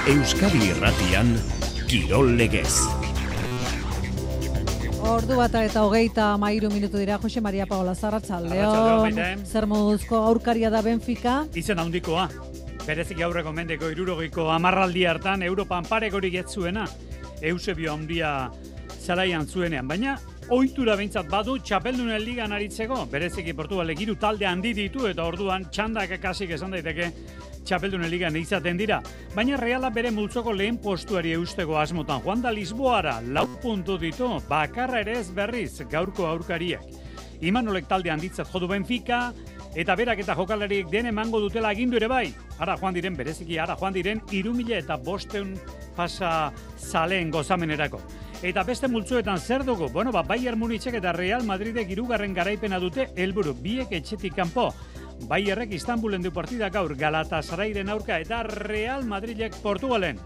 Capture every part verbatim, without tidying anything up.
Euskadi Irratian, Kirol Legez. Ordu bata eta hogeita hamairu minutu dira. Jose Maria Paola, arratsaldeon. Zer moduzko aurkaria da Benfica? Izen handikoa. Berezik aurreko mendeko hirurogeiko hamarraldi hartan Europan paregorik ez zuena. Eusebio handia zaraian zuenean, baina ohitura behintzat badu txapeldunen ligan aritzeko. Bereziki Portugalek hiru talde handi ditu eta orduan txandak kasik esan daiteke txapeldunen ligan izaten dira. Baina Reala bere multzoko lehen postuari eusteko asmotan joan da Lisboara, lau puntu ditu, bakarra ere ez berriz gaurko aurkariak. Imanolek talde handitzat jodu Benfica, eta berak eta jokalariek den emango dutela agindu ere bai. Ara joan diren, bereziki ara joan diren, hiru mila eta bosteun pasa zaleen gozamenerako. Eta beste multzuetan zer dugu? Bueno, ba, Bayern Munichek eta Real Madridek hirugarren garaipena dute helburu biek etxetik kanpo. Bayerrek Istanbulen du partida gaur Galatasarayren aurka eta Real Madridek Portugalen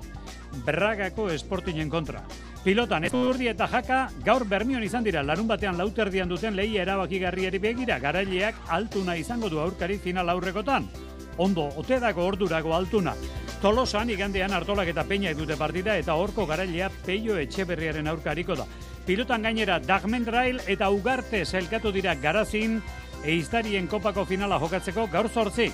Bragako Sportingen kontra. Pilotan Ezurdi eta Jaka gaur Bermion izan dira, larun batean lauterdian duten lehia erabakigarriari begira, garaileak altuna izango du aurkari final aurrekotan. Ondo, otedako ordurako altuna. Tolosan igandean Artolak eta Peña dute partida eta horko garailea Peio Etxeberriaren aurkariko da. Pilotan gainera Dagmendrail eta Ugarte sailkatu dira Garazin, Eiztarien kopako finala jokatzeko gaur zortzi,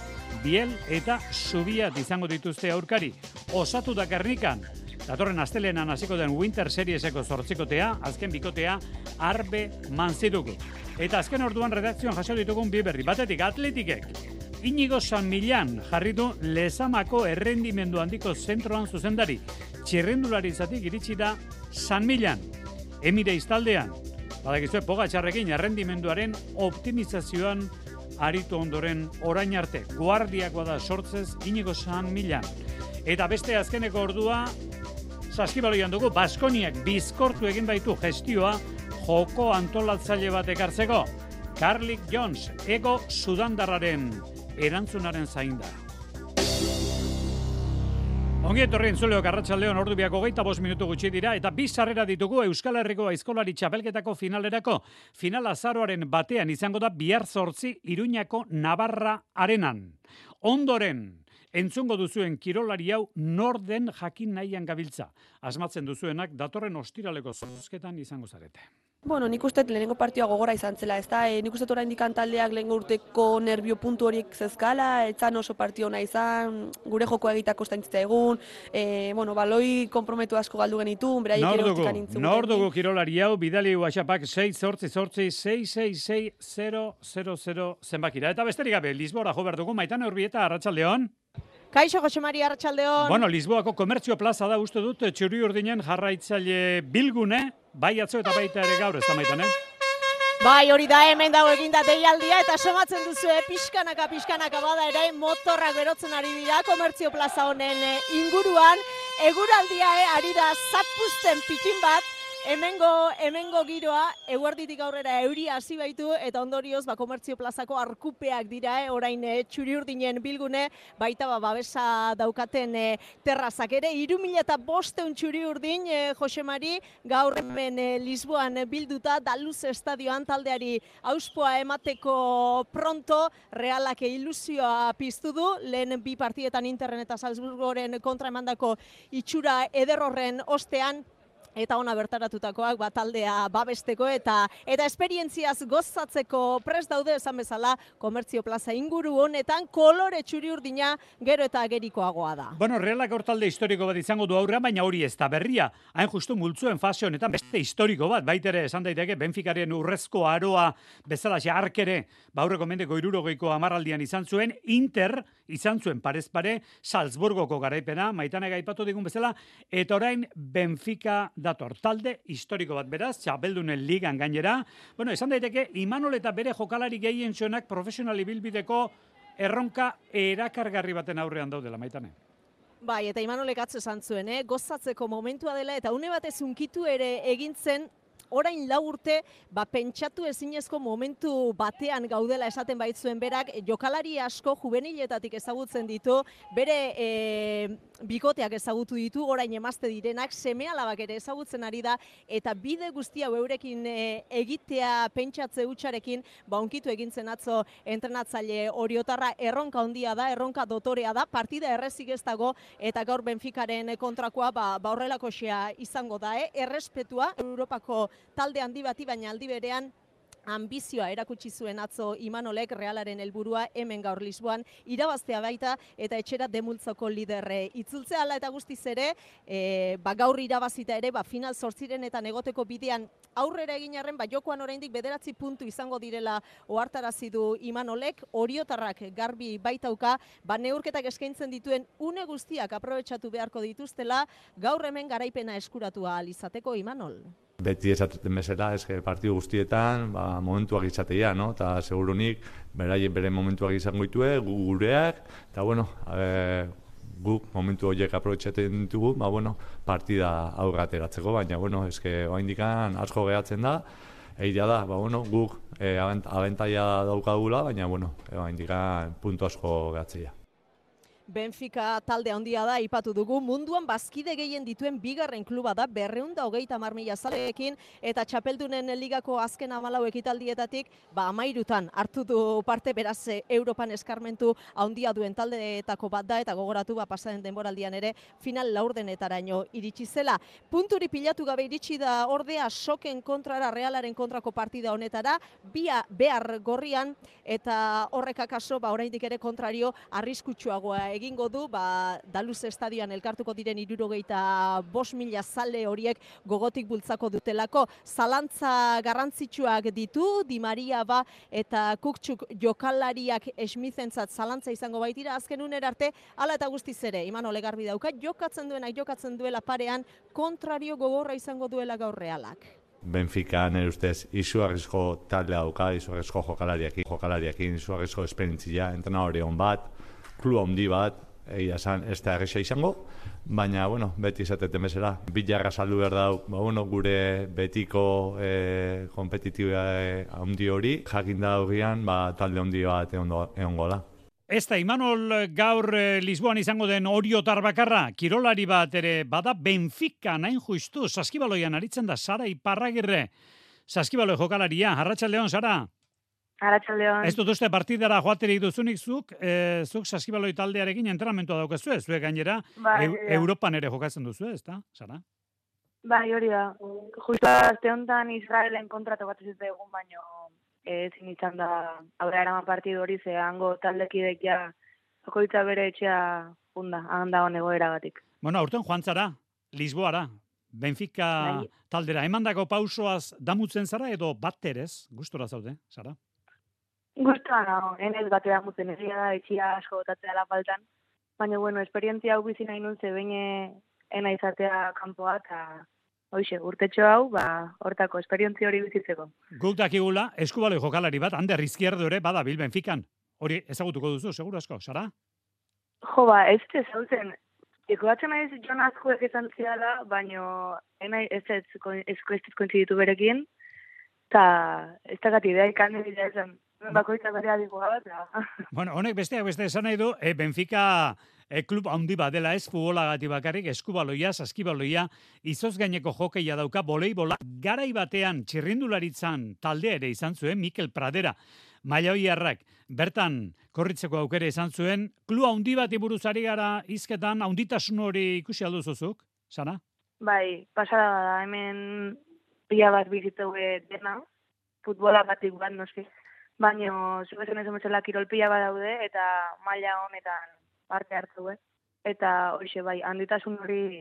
Biel eta Zubiat izango dituzte aurkari. Osatu da Gernikan, datorren astelenan hasiko den Winter Serieseko zortzikotea, azken bikotea Arbe Manziduko. Eta azken orduan redakzioan jaso ditugun bi berri, batetik Atletikek. Inigo San Millan jarri du Lezamako errendimendu handiko zentroan zuzendari. Txirrendularitzatik iritsi da San Millan. Emire iztaldean, badakizue Pogačarrekin errendimenduaren optimizazioan aritu ondoren orain arte. Guardiakoa da sortzez Inigo San Millan. Eta beste azkeneko ordua, saskibaloian dugu, Baskoniak bizkortu egin baitu gestioa joko antolatzaile bat ekartzeko. Carlik Jones, ego sudandarraren erantzunaren zainda. Ongi etorri entzuleok arratsaldeon ordu biak hogeita bost minutu gutxi dira eta bi sarrera ditugu Euskal Herriko aizkolari txapelketako finalerako. Final azaroaren batean izango da bihar zortzi Iruñako Navarra Arenan. Ondoren, entzungo duzuen kirolari hau norden jakin nahian gabiltza. Asmatzen duzuenak datorren ostiraleko zozketan izango zarete. Bueno, nik uste lehenengo partioa gogora izan zela, ez da, e, nik uste oraindik taldeak lehengo urteko nerbio puntu horiek zezkala, etzan oso partio ona izan, gure joko egitako estaintzita egun, e, bueno, baloi komprometu asko galdu genitun, beraiek ere hortikan intzuguten. Nor dugu kirolari hau, bidali WhatsAppak sei zortzi zortzi sei sei sei zero zero zero zenbakira. Eta besterik gabe, Lisbora jo behar dugu, Maitane Urbieta, arratsaldeon. Kaixo, Jose Maria, arratsaldeon. Bueno, Lisboako komertzio plaza da, uste dut, txuri urdinen jarraitzaile bilgune, bai atzo eta baita ere gaur, ez da Maitane? Bai, hori da, hemen dago eginda deialdia, eta somatzen duzu, eh, pixkanaka, pixkanaka bada ere, motorrak berotzen ari dira, komertzio plaza honen inguruan, eguraldia eh, ari da zapuzten pikin bat, Hemengo, hemengo giroa, eguerditik aurrera euria hasi baitu, eta ondorioz, ba, komertzio plazako arkupeak dira, eh, orain eh, txuri urdinen bilgune, baita ba, babesa daukaten eh, terrazak ere, hiru mila eta bosteun txuri urdin, eh, Jose Mari, gaur hemen eh, Lisboan bilduta, Daluz estadioan taldeari auspoa emateko pronto, Realak ilusioa piztu du, lehen bi partietan Interren eta Salzburgoren kontra emandako itxura ederrorren ostean, eta ona bertaratutakoak ba, taldea babesteko eta eta esperientziaz gozatzeko prest daude esan bezala komertzio plaza inguru honetan kolore txuri urdina gero eta gerikoagoa da. Bueno, Realak hor talde historiko bat izango du aurrean, baina hori ez da berria. Hain justu multzuen fase honetan beste historiko bat, baitere esan daiteke Benficaren urrezko aroa bezala arkere, ba aurreko mendeko hirurogeiko hamarraldian izan zuen, Inter izan zuen parez pare Salzburgoko garaipena, Maitane gaipatu digun bezala, eta orain Benfica dator talde historiko bat beraz, txapeldunen ligan gainera. Bueno, esan daiteke, Imanol eta bere jokalari gehien zuenak profesional ibilbideko erronka erakargarri baten aurrean daudela, Maitane. Bai, eta Imanolek atzo esan zuen, eh? Gozatzeko momentua dela, eta une batez unkitu ere egintzen orain lau urte, ba, pentsatu ezinezko momentu batean gaudela esaten baitzuen berak, jokalari asko juveniletatik ezagutzen ditu, bere e, bikoteak ezagutu ditu, orain emazte direnak, seme-alabak ere ezagutzen ari da, eta bide guztia eurekin e, egitea pentsatze hutsarekin, ba, onkitu egintzen atzo entrenatzaile Oriotarra, erronka handia da, erronka dotorea da, partida errezik ez dago, eta gaur Benficaren kontrakoa, ba, ba horrelakoxea izango da, eh? Errespetua Europako talde handi bati, baina aldi berean ambizioa erakutsi zuen atzo Imanolek, Realaren helburua hemen gaur Lisboan irabaztea baita eta etxera demultzoko liderre itzultzea hala eta guztiz ere, e, ba gaur irabazita ere, ba final zortzirenetan egoteko bidean aurrera egin arren, ba jokoan oraindik bederatzi puntu izango direla ohartarazi du Imanolek, Oriotarrak garbi baitauka, ba neurketak eskaintzen dituen une guztiak aprobetxatu beharko dituztela, gaur hemen garaipena eskuratu ahal izateko Imanol. Beti esaten bezala, eske partidu guztietan, ba, momentuak izatea, no? Eta segurunik, beraien bere momentuak izango ditue, gu gureak, eta bueno, e, guk momentu horiek aprobetxatzen ditugu, ba, bueno, partida aurra ateratzeko, baina, bueno, eske oraindikan asko gehatzen da, egia da, ba, bueno, guk e, abentaia daukagula, baina, bueno, oraindikan puntu asko gehatzea. Benfica talde handia da, ipatu dugu, munduan bazkide gehien dituen bigarren kluba da, berrehun eta hogeita hamar mila zaleekin, eta txapeldunen ligako azken hamalau ekitaldietatik, ba hamairutan hartu du parte, beraz Europan eskarmentu handia duen taldeetako bat da, eta gogoratu ba pasaren denboraldian ere final laurdenetaraino iritsi zela. Punturi pilatu gabe iritsi da ordea Soken kontrara, Realaren kontrako partida honetara, bia behar gorrian, eta horrek akaso, ba oraindik ere kontrario arriskutsuagoa egingo du, ba, Daluz estadioan elkartuko diren hirurogeita bost mila zale horiek gogotik bultzako dutelako. Zalantza garrantzitsuak ditu, Di Maria ba eta Kuktsuk jokalariak esmizentzat zalantza izango baitira, azken unera arte, hala eta guztiz ere, Imanol garbi dauka, jokatzen duenak jokatzen duela parean, kontrario gogorra izango duela gaur Realak. Benfica nire ustez izugarrizko taldea dauka, izugarrizko jokalariakin, jokalariakin, izugarrizko esperientzia, entrenadore on bat, klub handi bat, egia esan ez da erresa izango, baina, bueno, beti izateten bezala, bilarra saldu behar dau, ba, bueno, gure betiko e, kompetitiba handi hori, jakin da horrian, ba, talde handi bat egongo da. Ez da, Imanol gaur eh, Lisboan izango den Oriotar bakarra, kirolari bat ere bada Benfica nain justu, saskibaloian aritzen da Sara Iparragirre, saskibaloi jokalaria, arratsaldeon Sara. Arratsaldeon. Ez dut uste partidara joaterik duzunik zuk, e, zuk saskibaloi taldearekin entrenamentua daukazu, ez zuek gainera, bai, Eu, Europan ere jokatzen duzu, ez da, Sara? Bai, hori da. Justo aste honetan Israelen kontratu bat ez egun, baino ezin izan da aurrera eraman partidu hori, ze hango taldekidek ja jokoitza bere etxea funda, handa hon egoeragatik. Bueno, aurten joan zara, Lisboara, Benfica bai. taldera, emandako pausoaz damutzen zara edo batterez, gustora zaude, Sara? Gustoa nago, enez batera mutzen egia da, etxia asko botatzea la faltan. Baina, bueno, esperientzia hau bizi nahi nun, ze beine ena izatea kanpoa, eta hoxe, urtetxo hau, ba, hortako esperientzia hori bizitzeko. Guk dakigula, eskubaloi jokalari bat, Ander Izquierdo ere, bada bil Benfican. Hori ezagutuko duzu, seguru asko, Sara? Jo, ba, ez ez zautzen, ikuatzen naiz Jon Azkuek izan ziala, baina ena ez ez kointziditu berekin, eta ez dakat idea ikan dira esan. Bakoitza berea dikoa bat. Bueno, honek besteak beste esan nahi du, e, Benfica e, klub handi bat dela ez futbolagati bakarrik, eskubaloia, saskibaloia, izoz gaineko jokeia dauka, voleibola, garai batean txirrindularitzan talde ere izan zuen, Mikel Pradera, Mailaoiarrak, bertan korritzeko aukere izan zuen, klub handi bat iburuzari gara hizketan, handitasun hori ikusi alduzuzuk, Sara? Bai, pasada da, hemen pila bat bizitzeu dena, futbola batik bat, noski. Baina, zuezen ez emetzela kirolpila bat daude, eta maila honetan parte hartu, eh? Eta horixe bai, handitasun hori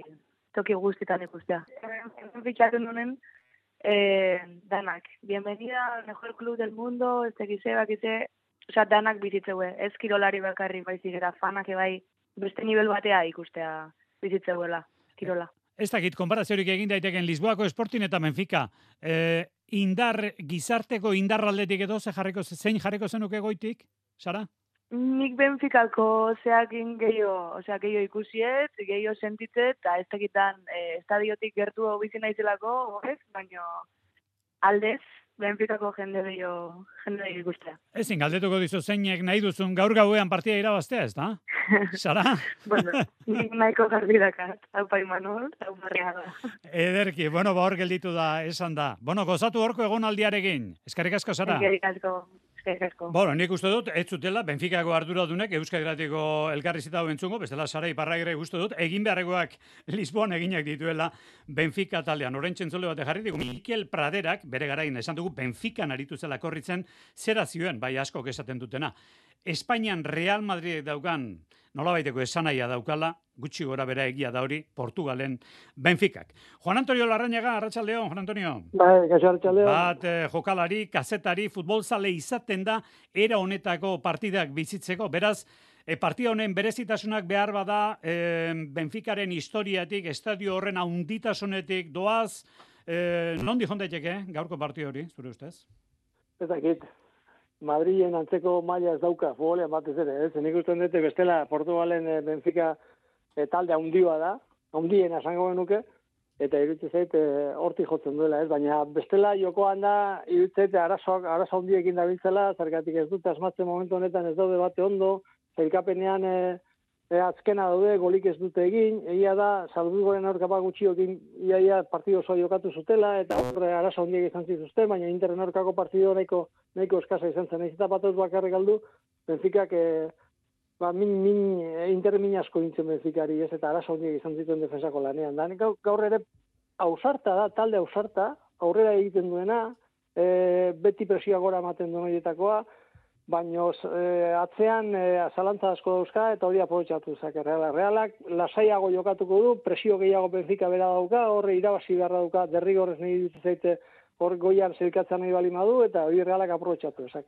toki guztietan ikustea. Hemen fitxatu nunen, eh, danak. Bienvenida al mejor club del mundo, ez tekize, bakize, osea, danak bizitzeue. Ez kirolari bakarri baizik, eta fanak bai beste nivel batea ikustea bizitzeuela, kirola. Ez dakit, konparaziorik egin daiteken Lisboako Sporting eta Benfica. E, indar, gizarteko indarraldetik edo ze jarriko, zein jarriko zenuke goitik, Sara? Nik Benficako zeakin gehiago, osea, gehiago ikusiet, gehiago sentitzet, eta ez dakitan e, estadiotik gertu bizi naizelako, horrez, baina aldez, Benficako jende dio, jende dio ikustea. Ezin, galdetuko dizu zeinek nahi duzun gaur gauean partida irabaztea, ez da? Sara? Bueno, nik nahiko garbi dakat, hau Imanol, hau Barriaga. Ederki, bueno, ba hor gelditu da, esan da. Bueno, gozatu horko egonaldiarekin. Eskerrik asko, Sara. Eskerrik asko. Bueno, nik uste dut, ez zutela, Benficako arduradunek Euskal Gratiko elkarrizita hau entzungo, bestela Sara Iparragirre uste dut, egin beharrekoak Lisboan eginak dituela Benfica taldean. Orain txentzole bate jarri digu, Mikel Praderak, bere garain esan dugu, Benfican aritu zela korritzen, zera zioen, bai askok esaten dutena. Espainian Real Madrid daukan, nolabaiteko esanaia daukala, gutxi gora bera egia da hori, Portugalen Benficak. Juan Antonio Larrañaga, arratsaldeon, Juan Antonio. Bai, kaixo arratsaldeon. Bat eh, jokalari, kazetari, futbolzale izaten da, era honetako partidak bizitzeko, beraz, e, partida honen berezitasunak behar bada, e, Benficaren historiatik, estadio horren haunditasunetik doaz, e, nondi jondaiteke, gaurko partida hori, zure ustez? Ez dakit. Madrilen antzeko maila ez dauka, futbolean batez ere, ez? Nik uste dute bestela Portugalen e, Benfica e, talde haundioa da, haundien esango genuke, eta iruditzen zait e, hortik jotzen duela, ez? Baina bestela jokoan da, iruditzen zait arazoak, arazo handiekin dabiltzela, zergatik ez dute asmatzen momentu honetan ez daude bate ondo, zailkapenean e, e, azkena daude, golik ez dute egin, egia da, Salzburgoren aurkapa gutxiokin iaia partido oso jokatu zutela, eta horre arazo handiek izan zituzten, baina Interren aurkako partido nahiko, nahiko eskasa izan zen. Ez eta batuz bakarrik galdu, Benficak e, ba, min, min, e, Inter min asko dintzen Benficari, ez, eta arazo handiek izan zituen defensako lanean. Da, gaur, gaur ere ausarta da, talde ausarta, aurrera egiten duena, e, beti presioa gora ematen duen horietakoa, baina e, atzean e, zalantza asko dauzka eta hori aprobetxatu zake Realak. Realak lasaiago jokatuko du, presio gehiago Benfica bera dauka, horre irabazi beharra dauka, derrigorrez nahi dut zaite hor goian zirkatzen nahi bali madu, eta hori Realak aprobetxatu ezak.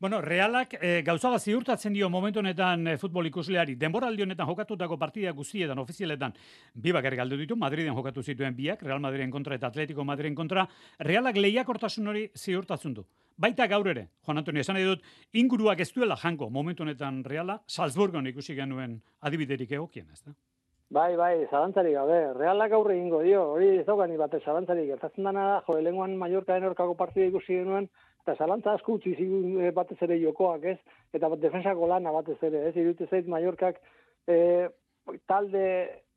Bueno, Realak e, gauza bat ziurtatzen dio momentu honetan e, futbol ikusleari, denboraldi honetan jokatutako partida guztietan, ofizialetan, bi bakarrik galdu ditu, Madriden jokatu zituen biak, Real Madriden kontra eta Atletico Madriden kontra, Realak lehiakortasun hori ziurtatzen du. Baita gaur ere, Juan Antonio, esan nahi dut, inguruak ez duela janko momentu honetan Reala, Salzburgon ikusi genuen adibiderik egokien, ez da? Bai, bai, zalantzarik gabe. Realak aurre egingo dio, hori ez daukani batez zalantzarik. Gertatzen dana da, jo, elenguan Mallorcaen aurkako partida ikusi genuen, eta zalantza asko utzi zigun batez ere jokoak, ez? Eta defensako lana batez ere, ez? Iruditzen zait Mallorcak e, talde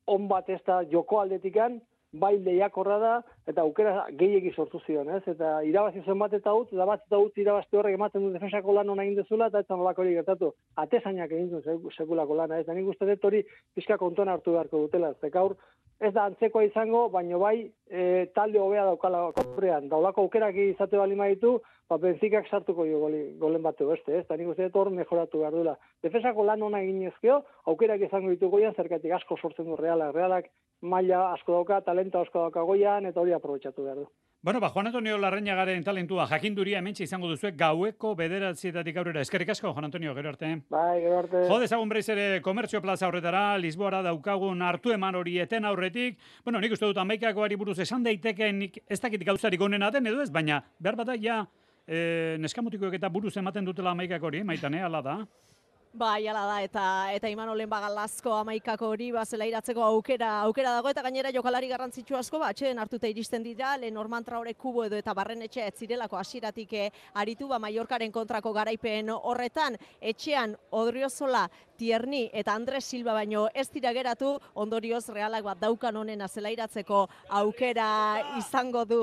on bat ez da joko aldetikan, bai lehiakorra da, eta aukera gehiegi sortu zion, ez? Eta irabazi zuen bat eta utz, da bat eta utz irabazte horrek ematen du defensako lan hona egin dezula, eta ez zanolako hori gertatu. Atezainak egin duen sekulako lana, ez? Da nik uste dut hori pixka kontuan hartu beharko dutela. Ez gaur, ez da antzekoa izango, baino bai e, talde hobea daukala korrean. Daulako aukerak izate bali maitu, ba, Benficak sartuko jo goli, golen bate beste, ez? Da nik uste dut hor mejoratu behar duela. Defensako lan hona egin ezkeo, aukerak izango ditu goian, zergatik asko sortzen du Realak. Realak maila asko dauka, talento asko dauka goian, eta hori aprobetxatu behar du. Bueno, ba, Juan Antonio Larrañagaren talentua jakinduria hementxe izango duzuek gaueko bederatzietatik aurrera. Eskerrik asko, Juan Antonio, gero arte. Bai, gero arte. Jo dezagun breiz ere komertzio plaza horretara, Lisboara daukagun hartu eman hori eten aurretik. Bueno, nik uste dut hamaikakoari buruz esan daiteken ez dakit gauzarik onena den edo ez, baina behar bada ja e, neskamutikoek eta buruz ematen dutela hamaikak hori, Maitane, hala da. Bai, ala da, eta eta Imanolen bagalazko amaikako hori bazela iratzeko aukera aukera dago, eta gainera jokalari garrantzitsu asko ba, atxeen hartuta iristen dira, Lenormand Traore, Kubo edo eta Barrenetxe ez zirelako hasieratik aritu, ba, Mallorcaren kontrako garaipen horretan, etxean Odriozola, Tierni eta Andres Silva baino ez dira geratu, ondorioz Realak bat daukan honena zela iratzeko aukera izango du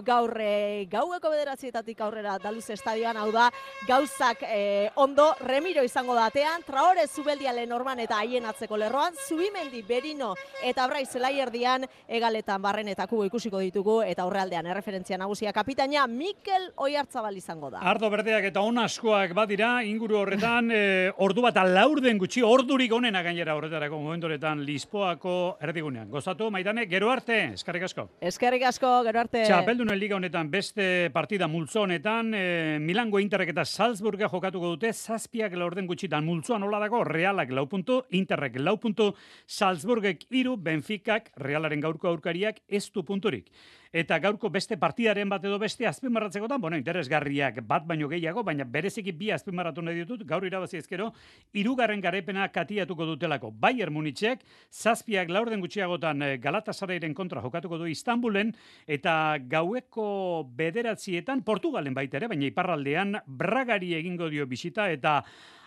gaur e, gaueko bederatzietatik aurrera Daluz estadioan, hau da, gauzak e, ondo, Remiro izango da atean, Traore, Zubeldia, Lenormand eta haien atzeko lerroan, Zubimendi, Berino eta Brai zelaierdian, egaletan Barren eta Kubo ikusiko ditugu, eta aurrealdean erreferentzia nagusia kapitaina Mikel Oiartzabal izango da. Ardo berdeak eta on askoak badira, inguru horretan, e, ordu bat alaurden gutxi, ordurik onena gainera horretarako momentu horretan Lisboako erdigunean. Gozatu, Maitane, gero arte, eskerrik asko. Eskerrik asko, gero arte. Txapeldunen liga honetan beste partida multzo honetan, e, Milango Interrek eta Salzburga jokatuko dute, zazpiak laurden gutxitan multzoan hola dago, Realak lau puntu, Interrek lau puntu, Salzburgek hiru, Benficak, Realaren gaurko aurkariak ez du punturik. eta gaurko beste partidaren bat edo beste azpimarratzekotan, bueno, interesgarriak bat baino gehiago, baina bereziki bi azpimarratu nahi ditut, gaur irabazi ezkero, hirugarren garaipena katiatuko dutelako. Bayern Munichek, zazpiak laurden gutxiagotan Galatasarayren kontra jokatuko du Istanbulen, eta gaueko bederatzietan Portugalen baita ere, baina iparraldean Bragari egingo dio bisita, eta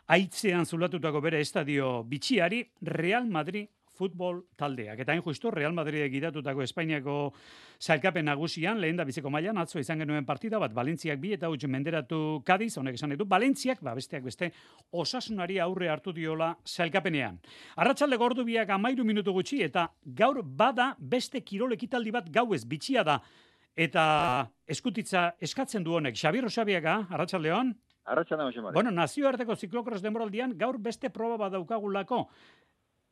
aitzean zulatutako bere estadio bitxiari Real Madrid futbol taldeak. Eta hain justu, Real Madrid gidatutako Espainiako sailkapen nagusian, lehen da biziko mailan, atzo izan genuen partida bat, Valentziak bi eta huts menderatu Kadiz, honek esan ditu, Valentziak, ba, besteak beste, Osasunari aurre hartu diola sailkapenean. Arratsaldeko ordu biak amairu minutu gutxi, eta gaur bada beste kirol ekitaldi bat gauez bitxia da, eta eskutitza eskatzen du honek. Xabier Osabiaga, arratsaldeon. Arratsaldeon, Xamari. Bueno, nazioarteko ziklokros denboraldian gaur beste proba bat daukagulako.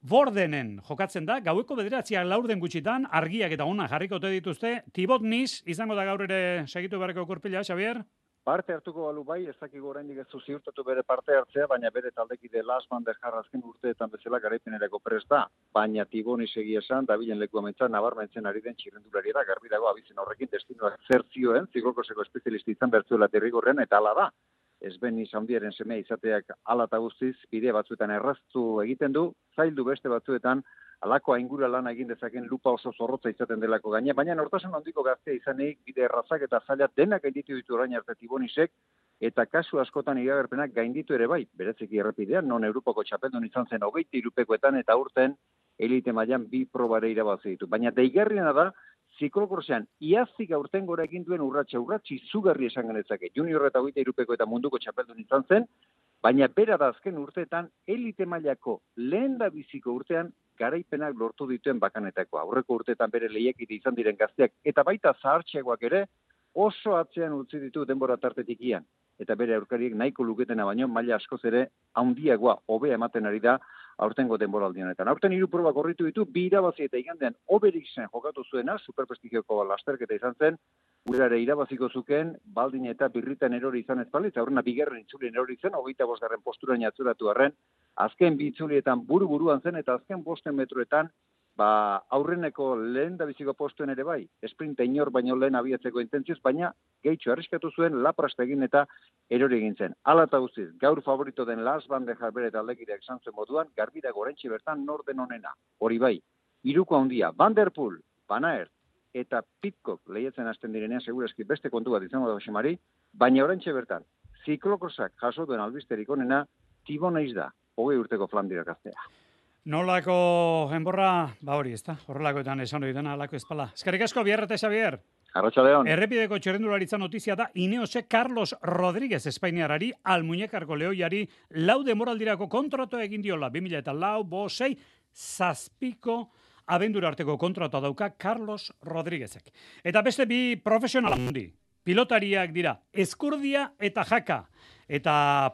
Bordenen jokatzen da, gaueko bederatziak laurden gutxitan, argiak eta ona jarriko ote dituzte, Thibaut Nis, izango da gaur ere segitu beharreko kurpila, Xabier? Parte hartuko balu bai, ez dakigu oraindik ez du ziurtatu bere parte hartzea, baina bere taldekide Lars van der Haar azken urteetan bezala garaipenerako prest da. Baina Thibaut Nis egia esan, dabilen leku amentza, nabarmentzen ari den txirrendulari da, garbi dago abizen horrekin destinoak zer zioen, ziklokoseko espezialisti izan bertzuela derrigorren, eta hala da. Ez ben handiaren semea izateak ala eta guztiz, bide batzuetan erraztu egiten du, zaildu beste batzuetan, alako aingura lana egin dezaken lupa oso zorrotza izaten delako gaine, baina nortasun handiko gaztea izanik, bide errazak eta zaila denak gainditu ditu orain arte Thibaut Nisek, eta kasu askotan iragarpenak gainditu ere bai, bereziki errepidean, non Europako txapeldun izan zen hogeita hirupekoetan eta urten elite mailan bi probare irabazi ditu. Baina deigarriena da, ziklokrosean iaztik aurten gora egin duen urratxa urratxi zugarri esan genetzake. Junior eta hogeita hirupeko eta munduko txapeldun izan zen, baina bera da azken urteetan elite mailako lehen da biziko urtean garaipenak lortu dituen bakanetakoa. Aurreko urteetan bere lehiakide izan diren gazteak eta baita zahartxeagoak ere oso atzean utzi ditu denbora tartetik ian. Eta bere aurkariek nahiko luketena baino maila askoz ere handiagoa hobea ematen ari da aurtengo denboraldi honetan. Aurten hiru proba korritu ditu, bi irabazi eta igandean Oberixen jokatu zuena, superprestigioko lasterketa izan zen, urare irabaziko zuken, baldin eta birritan erori izan ez balitz, aurrena bigarren itzulien erori zen, hogeita bosgarren posturain atzuratu arren, azken bi itzulietan buru-buruan zen, eta azken bosten metroetan, ba, aurreneko lehen da biziko postuen ere bai, esprinta inor baino lehen abiatzeko intentzioz, baina gehitxo arriskatu zuen, laprasta egin eta erori egin zen. Hala eta guztiz, gaur favorito den Lars van der Haar bere taldekideak esan zuen moduan, garbi dago oraintxe bertan norden onena. Hori bai, hiruko handia, Van der Poel, Van Aert eta Pidcock lehiatzen hasten direnean segurazki beste kontu bat izango da Xamari, baina oraintxe bertan, ziklokrosak jaso duen albisterik onena, Thibaut Nis da, hogei urteko Flandria gaztea. Nolako enborra, ba hori, ezta? Horrelakoetan esan hori dena, alako espala. Eskerrik asko, Biarra eta Xabier. Arratsaldeon. Errepideko txerrendularitza notizia da Ineosek Carlos Rodríguez Espainiarari, Almuñekarko Lehoiari, lau demoraldirako kontrato egin diola, bi mila eta lau, bo, sei, zazpiko abendura arteko kontrato dauka Carlos Rodríguezek. Eta beste bi profesional handi, pilotariak dira, Ezkurdia eta Jaka. Eta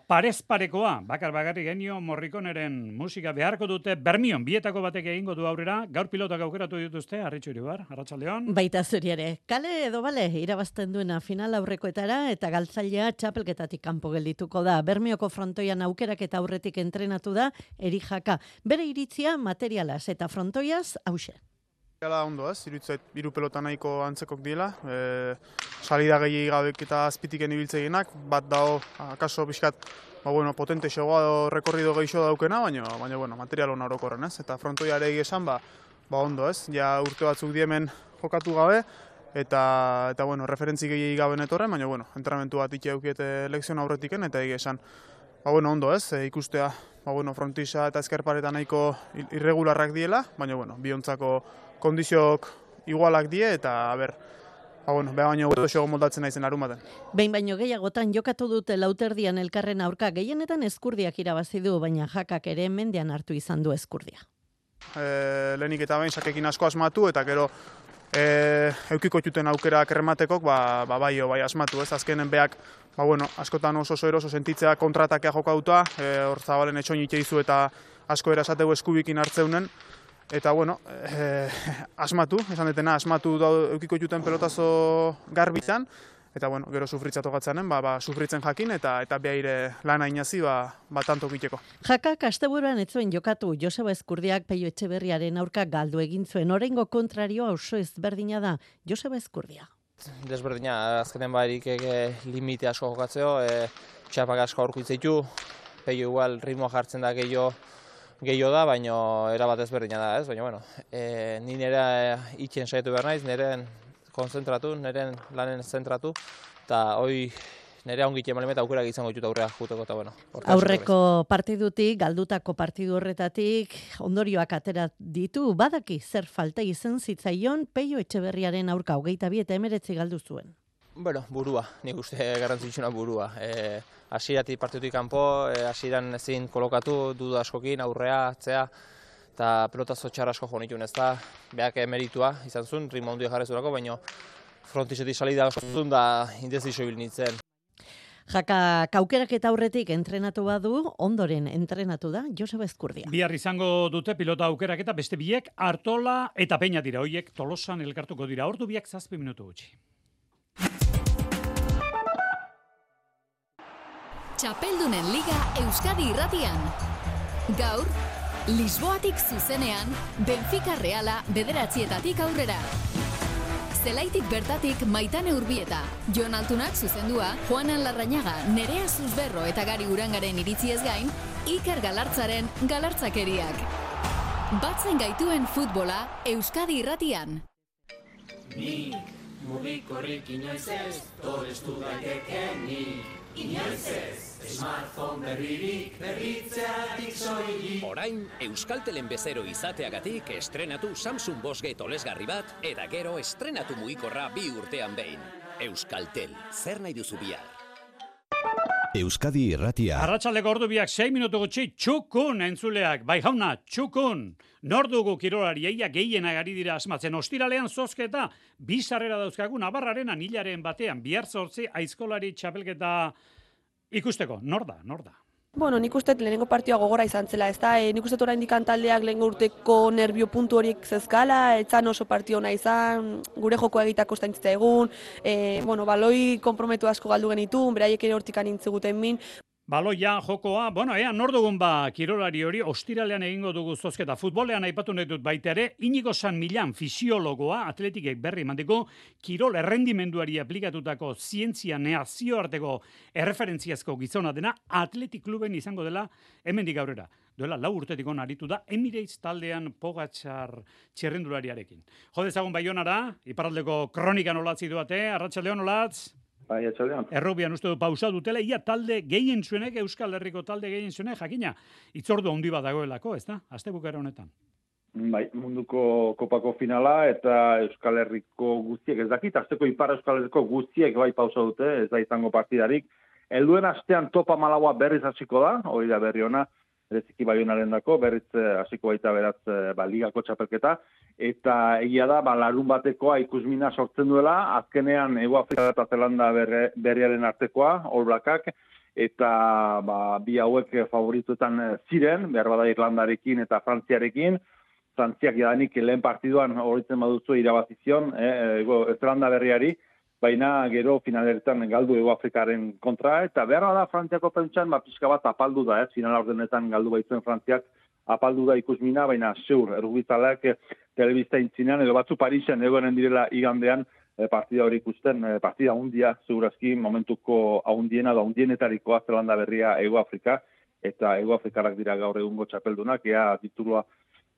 parez parekoa, bakar bakarri genio Morrikoneren musika beharko dute Bermion, bietako batek egingo du aurrera, gaur pilotak aukeratu dituzte, Arritxu Iribar, arratsaldeon. Baita zuri ere, kale edo bale, irabazten duena final aurrekoetara eta galtzailea txapelketatik kanpo geldituko da. Bermioko frontoian aukerak eta aurretik entrenatu da, Eri Jaka. Bere iritzia materialaz eta frontoiaz hause. Gala ondo ez, irutzait hiru pelota nahiko antzekok dira, e, salida gehi gabek eta azpitiken ibiltzeginak, bat dao, akaso pixkat, ba, bueno, potente xogoa do, rekorrido gehiago daukena, baina, baina bueno, material hona orokorren ez, eta frontoiare esan, ba, ba ondo ez, ja urte batzuk diemen jokatu gabe, eta, eta bueno, referentzi gehi gaben etorren, baina, bueno, entrenamentu bat ikia eukiete lekzion aurretiken, eta egia esan, ba, bueno, ondo ez, e, ikustea, ba, bueno, frontisa eta ezkerpareta nahiko irregularrak diela, baina, bueno, biontzako kondiziok igualak die, eta, ber, ba, bueno, beha baino gutu xogo moldatzen naizen arumaten. Behin baino gehiagotan jokatu dute lauterdian elkarren aurka, gehienetan Ezkurdiak irabazi du, baina Jakak ere mendean hartu izan du Ezkurdia. E, lehenik eta behin sakekin asko asmatu, eta gero e, eukiko txuten aukerak errematekok, ba, ba, bai, bai asmatu, ez, azkenen beak, ba, bueno, askotan oso oso eroso sentitzea kontratakea jokauta, e, hor zabalen etxoin itxeizu eta asko erasateu eskubikin hartzeunen, eta, bueno, eh, asmatu, esan detena, asmatu da eukiko juten pelotazo garbitan, eta bueno, gero sufritzatu gatzanen, ba, ba, sufritzen jakin, eta eta behaire lana inazi, ba, ba tanto kiteko. Jakak asteburuan ez zuen jokatu, Joseba Ezkurdiak Peio Etxeberriaren aurka galdu egin zuen, oraingo kontrarioa oso ezberdina da, Joseba Ezkurdia. Desberdina, azkenen barik limite asko jokatzeo, e, txapak asko aurkitzitu, Peio igual ritmoa jartzen da gehiago gehiago da, baina erabat ezberdina da, ez? Baina, bueno, e, ni nire itxen saiatu behar naiz, nire konzentratu, nire lanen zentratu, eta hoi nire ongit eman eta aukerak izango ditut aurrea juteko, eta bueno. Aurreko partidutik, galdutako partidu horretatik, ondorioak atera ditu, badaki zer falta izen zitzaion Peio Etxeberriaren aurka, hogeita bi eta emeretzi galdu zuen. Bueno, burua, nik uste garrantzitsuna burua. E, Asiratik partidutik kanpo, e, asiran ezin kolokatu, duda askokin, aurrea, atzea, eta pelotazo txar asko jo nituen ez da, behak emeritua izan zuen, ritmo ondia jarrezurako, baina frontizetik salida osotun da indezizio bil nintzen. Jaka, kaukerak eta aurretik entrenatu badu, ondoren entrenatu da Joseba Ezkurdia. Bihar izango dute pilota aukerak eta beste biek Artola eta Peña dira, hoiek Tolosan elkartuko dira, ordu biak zazpi minutu gutxi. Txapeldunen Liga Euskadi Irratian. Gaur, Lisboatik zuzenean, Benfica Reala bederatzietatik aurrera. Zelaitik bertatik Maitane Urbieta, Jon Altunak zuzendua, Juanan Larrañaga, Nerea Zuzberro eta Gari Urangaren iritziez gain, Iker Galartzaren galartzakeriak. Batzen gaituen futbola Euskadi Irratian. Nik, mugikorrik inoiz ez, torestu daitekenik. Inoiz ez, smartphone berririk, berritzeatik soilik. Orain, Euskaltelen bezero izateagatik estrenatu Samsung Bosge tolesgarri bat, eta gero estrenatu mugikorra bi urtean behin. Euskaltel, zer nahi duzu bihar? Euskadi Irratia. Arratsaldeko ordu biak sei minutu gutxi, txukun entzuleak, bai jauna, txukun. Nor dugu kirolari eia gehienak ari dira asmatzen, ostiralean zozketa, bi sarrera dauzkagu Navarraren anilaren batean, bihar zortzi aizkolari txapelketa ikusteko, nor da, nor da. Bueno, nik uste lehenengo partioa gogora izan zela, ez da, e, nik uste oraindik taldeak lehengo urteko nerbio puntu horiek zezkala, etzan oso partio ona izan, gure joko egitako estaintzita egun, e, bueno, baloi konprometu asko galdu genitun, beraiek ere hortikan intziguten min. Baloia, jokoa, bueno, ea, nor dugun ba kirolari hori, ostiralean egingo dugu zozketa. Futbolean aipatu nahi dut baita ere, Inigo San Millan fisiologoa, atletikek berri emateko, kirol errendimenduari aplikatutako zientzia nazioarteko erreferentziazko gizona dena, atletik kluben izango dela, hemendik aurrera. Duela lau urtetik on aritu da, Emirates taldean Pogačar txerrendulariarekin. Jodezagun Baionara, iparraldeko kronikan olatzi duate, arratsaldeon olatz. Bai, etxaldean. Errobian uste du pausa dutela, ia talde gehien zuenek, Euskal Herriko talde gehien zuenek, jakina, itzordu handi bat dagoelako, ez da? Astebukera honetan. Bai, munduko kopako finala eta Euskal Herriko guztiek, ez dakit, asteko ipar Euskal Herriko guztiek bai pausa dute, ez da izango partidarik. Helduen astean topa malaua berriz hasiko da, hori da berri ona, bereziki Baionaren dako, berriz hasiko baita beraz ba, ligako txapelketa, eta egia da, ba, larun batekoa ikusmina sortzen duela, azkenean Hego Afrika eta Zelanda berre, berriaren artekoa, All Blackak, eta ba, bi hauek favorituetan ziren, behar bada Irlandarekin eta Frantziarekin, Frantziak jadanik lehen partiduan horitzen baduzu irabazizion, eh, Zelanda berriari, baina gero finaleretan galdu Hego Afrikaren kontra, eta behar da Frantziako pentsan, ba, pixka bat apaldu da, ez, finala ordenetan galdu baitzuen Frantziak, apaldu da ikusmina, baina zeur, errugbitzaleak telebista intzinean, edo batzu Parisen egoenen direla igandean e, partida hori ikusten, e, partida hundia, zeurazki, momentuko ahundiena da hundienetarikoa Zelanda berria Hego Afrika, eta Hego Afrikarak dira gaur egungo txapeldunak, ea titulua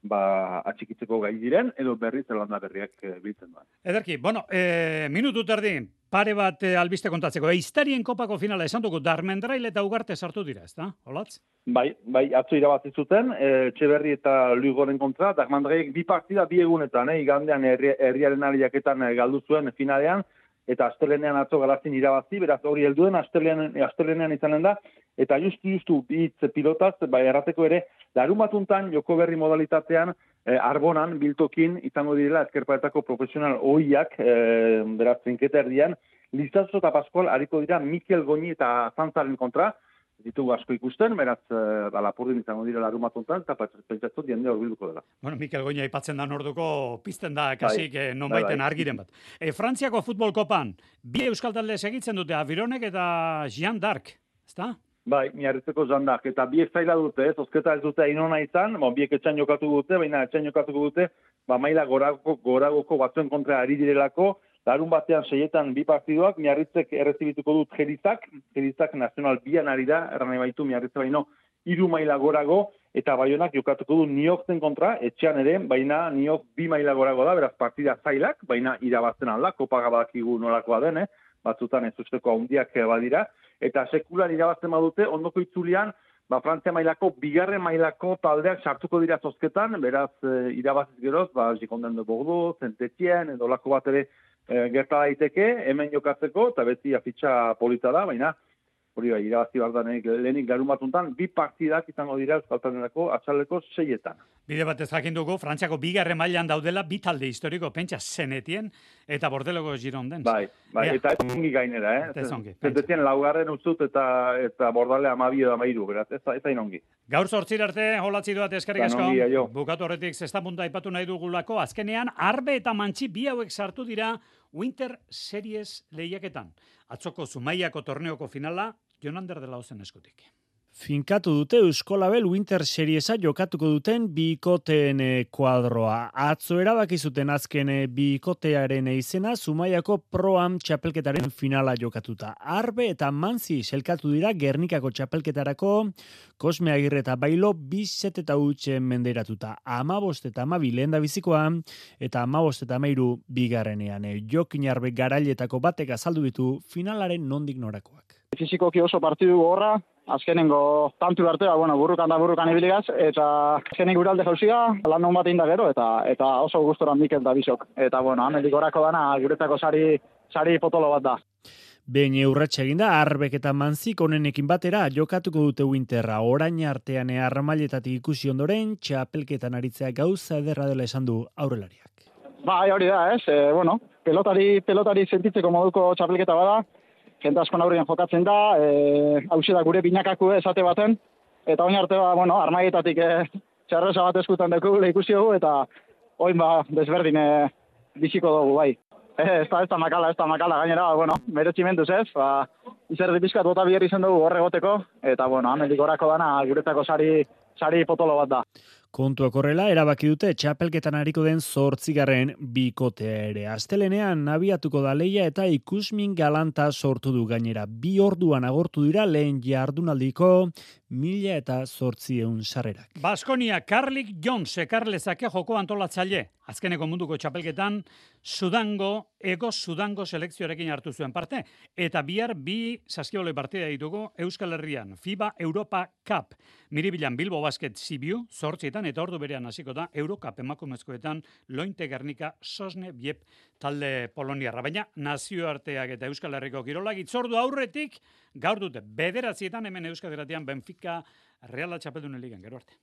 ba, atxikitzeko gai diren, edo berri Zelanda berriak e, biltzen da. Ederki, bueno, e, minutu terdi, pare bat e, albiste kontatzeko. Eiztarien kopako finala esan dugu, Darmendrail eta Ugarte sartu dira, ez da? Olatz? Bai, bai, atzo irabazi zuten, e, Txeberri eta Luigoren kontra, Darmendrailek bi partida bi egunetan, eh, igandean herri, herriaren ariaketan e, galdu zuen finalean, eta astelenean atzo Galazin irabazi, beraz hori helduen astelenean, astelenean izanen da, eta justu-justu hitz pilotaz, bai errateko ere, larun batuntan joko berri modalitatean, eh, Arbonan, biltokin, izango direla ezkerpaetako profesional ohiak, eh, beraz, trinketa erdian, Lizazo eta Pascual hariko dira Mikel Goñi eta Zantzaren kontra, ditugu asko ikusten, beraz, ba, Lapurdin izango dira larumatuntan, eta pentsatzen jende horbilduko dela. Bueno, Mikel Goña aipatzen da orduko pizten da kasik bai, nonbaiten bai, bai. argiren bat. E, Frantziako futbol kopan, bi euskal talde segitzen dute, Avironek eta Jean d'Arc, ezta? Bai, miarritzeko jandak, eta biek zaila dute, ez, ozketa ez dute ainona izan, bon, biek etxan jokatu dute, baina etxan jokatuko dute, ba, maila goragoko, goragoko batzuen kontra ari direlako, larun batean seietan bi partiduak, miarritzek errezibituko dut Gerizak, Gerizak nazional bian ari da, erran baitu miarritze baino, hiru maila gorago, eta Baionak jokatuko du Niokzen kontra, etxean ere, baina Niok bi maila gorago da, beraz partida zailak, baina irabazten alda, kopaga badakigu nolakoa den, eh? Batzutan ez usteko handiak badira, eta sekulan irabazten badute, ondoko itzulian, ba, Frantzia mailako, bigarren mailako taldeak sartuko dira zozketan, beraz e, irabaziz geroz, ba, Gikonten de Bordeaux, Saint-Étienne, edo lako bat ere e, gerta daiteke, hemen jokatzeko, eta beti afitxa polita da, baina, hori bai, irabazi bardanek lehenik garumatuntan, bi partidak izango dira euskaltanerako atxaleko seietan. Bide batez jakin dugu, Frantziako bigarren mailan daudela bi talde historiko, pentsa Saint-Étienne eta Bordeloko Girondins. Bai, bai, Ea. eta ez ongi gainera, eh? Ez ongi, Saint-Étienne laugarren utzut eta eta Bordale amabi edo amairu, beraz, ez da, ez da inongi. Gaur zortzir arte, holatzi duat eskerrik asko. Danongi, aio. Bukatu horretik zesta punta aipatu nahi dugulako, azkenean, Arbe eta Mantxi bi hauek sartu dira Winter Series lehiaketan. Atzoko Zumaiako torneoko finala, Jonander de la Ozen eskutik. Finkatu dute Euskolabel Winter Seriesa jokatuko duten bikoteen kuadroa. Atzo erabaki zuten azken bikotearen izena Zumaiako Pro-Am txapelketaren finala jokatuta. Arbe eta Manzi selkatu dira Gernikako txapelketarako, Kosme Agirre eta Bailo bizet eta utxe menderatuta. Amabost eta amabi lehen da bizikoa eta amabost eta amairu bigarrenean. Jokin Arbe garailetako batek azaldu ditu finalaren nondik norakoak. Fizikoki oso partidu gorra, azkenengo tantu artea, bueno, burrukan da burrukan ibiligaz, eta azkenik guralde jauziga, lan non bat inda gero, eta eta oso gustoran Mikel da Bisok. Eta, bueno, amendik orako dana, guretako sari, sari potolo bat da. Behin eurratxe eginda, Arbek eta Manzik onenekin batera jokatuko dute Winterra. Orain artean armailetatik ikusi ondoren, txapelketan aritzea gauza ederra dela esan du aurrelariak. Bai, hori da, ez? E, bueno, pelotari, pelotari sentitzeko moduko txapelketa bada, jente askon aurrean jokatzen da, e, hauxe da gure binakaku esate baten, eta oin arte ba, bueno, armaietatik e, txarreza bat eskutan dugu, ikusi dugu, eta oin ba, desberdin e, biziko dugu, bai. E, ez da, ez da makala, ez da makala, gainera, bueno, meretximenduz ez, ba, izerdi bizkat bota biherri zen dugu horre goteko, eta, bueno, amendik orako dana, guretako sari, sari potolo bat da. Kontuak horrela, erabaki dute txapelketan hariko den zortzigarren bikotea ere. Astelenean abiatuko da leia eta ikusmin galanta sortu du gainera. Bi orduan agortu dira lehen jardunaldiko mila eta zortzieun sarrerak. Baskonia, Karlik Jones ekarlezake joko antolatzaile. Azkeneko munduko txapelketan, Sudango, Ego Sudango selekzioarekin hartu zuen parte. Eta bihar bi saskiole partida ditugu Euskal Herrian. FIBA Europa Cup. Miribilan Bilbo Basket Sibiu, zortzietan eta ordu berean hasiko da Eurocup emakumezkoetan Lointe Gernika Sosne Biep talde poloniarra. Baina nazioarteak eta Euskal Herriko kirolak itzordu aurretik gaur dute bederatzietan hemen Euskal Herrian Benfica Reala Txapeldunen ligan. Gero arte.